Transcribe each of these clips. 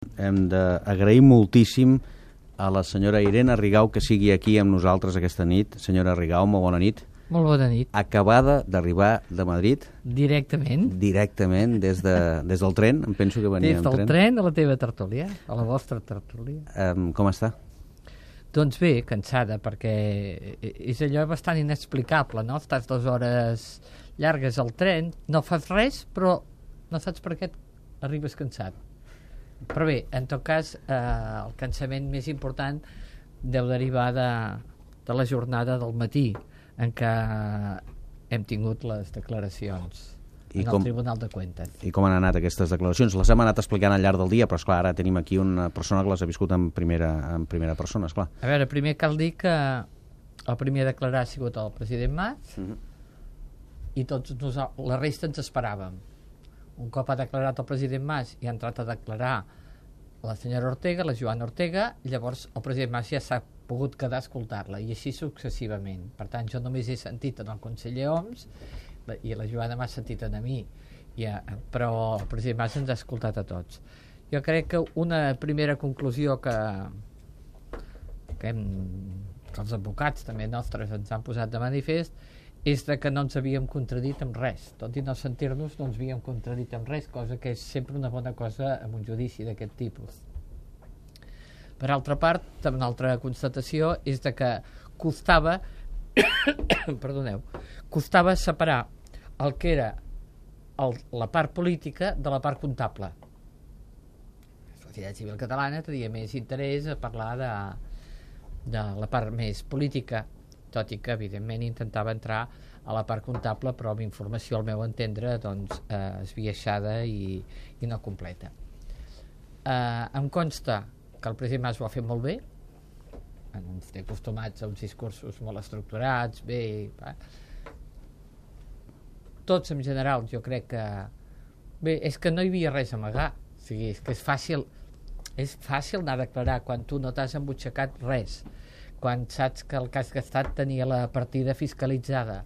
Hem d'agrair moltíssim a la senyora Irene Rigau que sigui aquí amb nosaltres aquesta nit. Senyora Rigau, molt bona nit. Molt bona nit. Acabada d'arribar de Madrid. Directament. Directament, des del tren, em penso que venia en tren. Des del tren a la teva tertúlia, a la vostra tertúlia. Com està? Doncs bé, cansada, perquè és allò bastant inexplicable, no? Estàs 2 hores llargues al tren, no fas res, però no saps per què arribes cansat. Però bé, en tot cas, el cansament més important deu derivar de la jornada del matí, en què hem tingut les declaracions en el Tribunal de Cuentas. I com han anat aquestes declaracions? Les hem anat explicant al llarg del dia, però esclar, ara tenim aquí una persona que les ha viscut en primera persona, esclar. A veure, primer cal dir que el primer a declarar ha sigut el president Mas, i tots la resta ens esperàvem. Un cop ha declarat el president Mas i ha entrat a declarar la senyora Ortega, la Joana Ortega, llavors el president Mas ja s'ha pogut quedar a escoltar-la, i així successivament. Per tant, jo només he sentit en el conseller Homs i la Joana m'ha sentit a mi, però el president Mas ens ha escoltat a tots. Jo crec que una primera conclusió que els advocats també nostres ens han posat de manifest és que no ens havíem contradit amb res. Tot i no sentir-nos, no ens havíem contradit amb res, cosa que és sempre una bona cosa en un judici d'aquest tipus. Per altra part, una altra constatació és que costava costava separar el que era la part política de la part comptable. La societat civil catalana tenia més interès a parlar de la part més política, tot i que evidentment intentava entrar a la part comptable, però amb informació al meu entendre esbiaixada i no completa. Em consta que el president Mas ho ha fet molt bé, ens té acostumats a uns discursos molt estructurats, tots en general jo crec que bé, és que no hi havia res a amagar, o sigui, és que és fàcil anar a declarar quan tu no t'has embutxacat res, quan saps que el que has gastat tenia la partida fiscalitzada,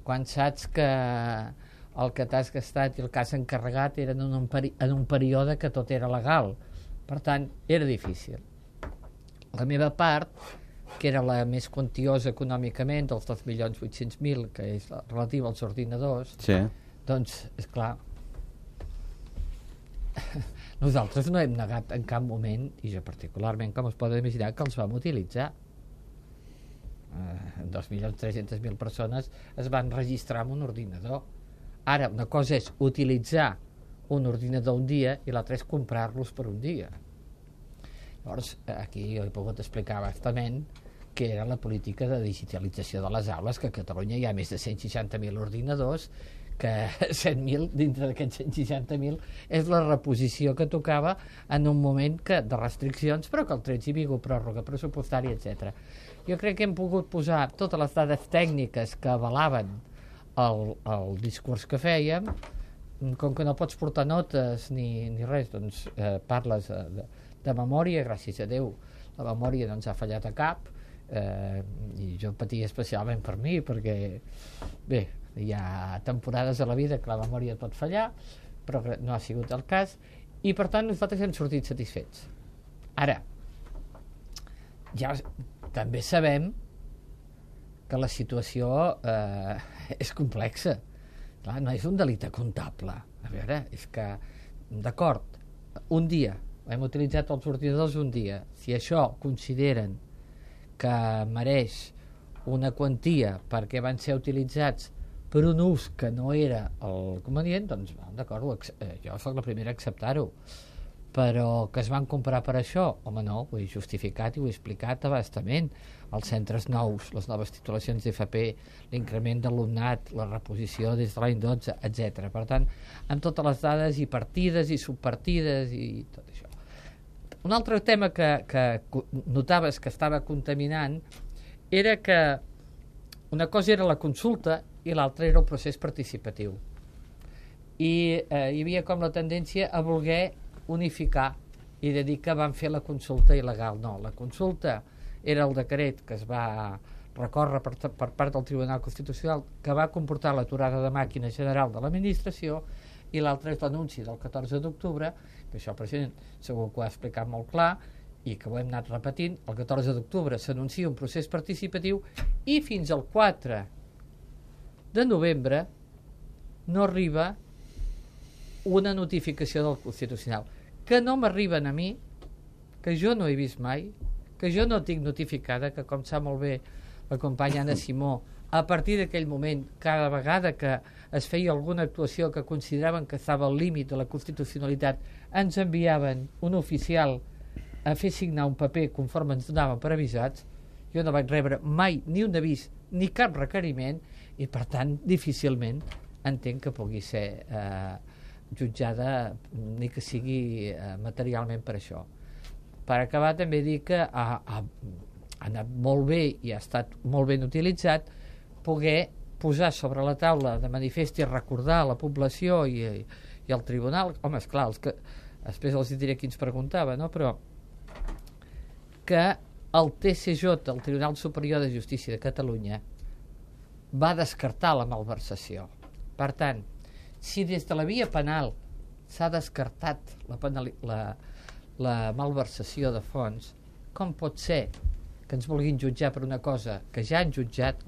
quan saps que el que t'has gastat i el que has encarregat eren en un període que tot era legal. Per tant, era difícil. La meva part, que era la més quantiosa econòmicament, dels 2.800.000, que és relativa als ordinadors, sí. Doncs, esclar, nosaltres no hem negat en cap moment, i jo particularment, com es poden imaginar, que els vam utilitzar. 2.300.000 persones es van registrar en un ordinador. Ara, una cosa és utilitzar un ordinador un dia i l'altra és comprar-los per un dia. Llavors, aquí jo he pogut explicar bastament que era la política de digitalització de les aules, que a Catalunya hi ha més de 160.000 ordinadors, que 100.000 dintre d'aquests 160.000 és la reposició que tocava en un moment de restriccions, però que el 13 hi havia pròrroga pressupostària, etc. Jo crec que hem pogut posar totes les dades tècniques que avalaven el discurs que fèiem. Com que no pots portar notes ni res, doncs parles de memòria, gràcies a Déu la memòria no ens ha fallat a cap, i jo patia especialment per mi, perquè bé, hi ha temporades a la vida que la memòria pot fallar, però no ha sigut el cas, i per tant nosaltres hem sortit satisfets. Ara, ja també sabem que la situació és complexa. Clar, no és un delicte comptable. A veure, és que, d'acord, un dia, hem utilitzat els ordinadors un dia. Si això consideren que mereix una quantia perquè van ser utilitzats per un ús que no era el convenient, doncs, d'acord, jo soc la primera a acceptar-ho. Però que es van comprar per això, home, no, ho he justificat i ho he explicat abastament. Els centres nous, les noves titulacions d'FP, l'increment d'alumnat, la reposició des de l'any 12, etc. Per tant, amb totes les dades i partides i subpartides i tot això. Un altre tema que notaves que estava contaminant era que una cosa era la consulta i l'altra era el procés participatiu. I hi havia com la tendència a voler unificar i de dir que van fer la consulta il·legal. No, la consulta era el decret que es va recórrer per part del Tribunal Constitucional, que va comportar l'aturada de màquina general de l'administració, i l'altre és l'anunci del 14 d'octubre, que això el president segur que ho ha explicat molt clar i que ho hem anat repetint. El 14 d'octubre s'anuncia un procés participatiu i fins al 4 de novembre no arriba una notificació del Constitucional, que no m'arriben a mi, que jo no he vist mai, que jo no tinc notificada, que com sap molt bé la companya Anna Simó, a partir d'aquell moment, cada vegada que es feia alguna actuació que consideraven que estava al límit de la constitucionalitat, ens enviaven un oficial a fer signar un paper conforme ens donaven per avisats. Jo no vaig rebre mai ni un avís ni cap requeriment i per tant difícilment entenc que pugui ser jutjada ni que sigui materialment per això. Per acabar també dir que ha anat molt bé i ha estat molt ben utilitzat poder posar sobre la taula de manifest i recordar a la població i al tribunal, home, esclar, després els diré qui ens preguntava, no? Però que el TSJ, el Tribunal Superior de Justícia de Catalunya, va descartar la malversació. Per tant, si des de la via penal s'ha descartat la malversació de fons, com pot ser que ens vulguin jutjar per una cosa que ja han jutjat?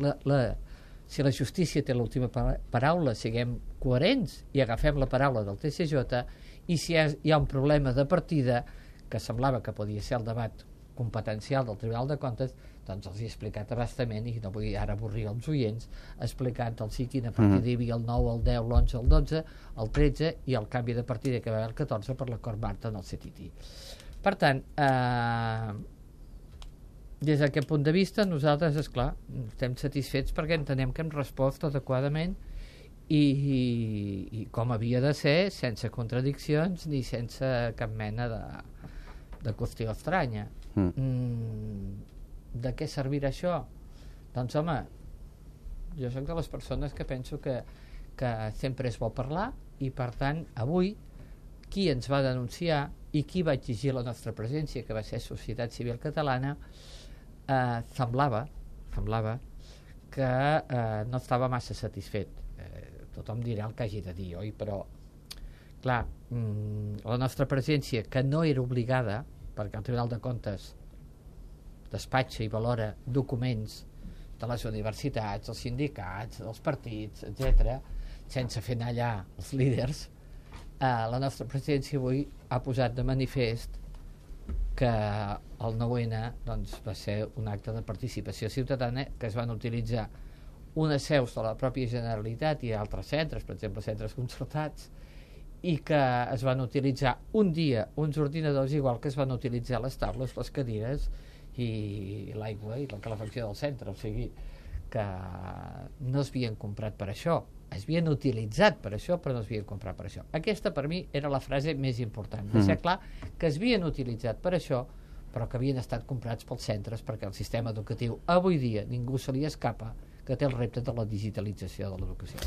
Si la justícia té l'última paraula, siguem coherents i agafem la paraula del TSJ, i si hi ha un problema de partida que semblava que podia ser el debat competencial del Tribunal de Comptes, doncs els he explicat abastament, i no vull ara avorrir els oients, explicant quina partida hi havia el 9, el 10, l'11, el 12, el 13 i el canvi de partida que va haver el 14 per l'acord Marta en el CTT. Per tant, des d'aquest punt de vista nosaltres, esclar, estem satisfets perquè entenem que hem respost adequadament i com havia de ser, sense contradiccions ni sense cap mena de qüestió estranya. De què servirà això? Doncs home, jo soc de les persones que penso que sempre és bo parlar, i per tant avui qui ens va denunciar i qui va exigir la nostra presència, que va ser Societat Civil Catalana, semblava que no estava massa satisfet. Tothom dirà el que hagi de dir, oi? Però clar, la nostra presència, que no era obligada, perquè el Tribunal de Comptes despatxa i valora documents de les universitats, dels sindicats, dels partits, etc., sense fer anar allà els líders, la nostra presència avui ha posat de manifest que el 9-N doncs, va ser un acte de participació ciutadana, que es van utilitzar unes seus de la pròpia Generalitat i altres centres, per exemple centres concertats, i que es van utilitzar un dia uns ordinadors igual que es van utilitzar les taules, les cadires i l'aigua i la calefacció del centre. O sigui que no es havien comprat per això, es havien utilitzat per això, però no es havien comprat per això. Aquesta per mi era la frase més important, deixar clar que es havien utilitzat per això, però que havien estat comprats pels centres, perquè el sistema educatiu avui dia ningú se li escapa que té el repte de la digitalització de l'educació.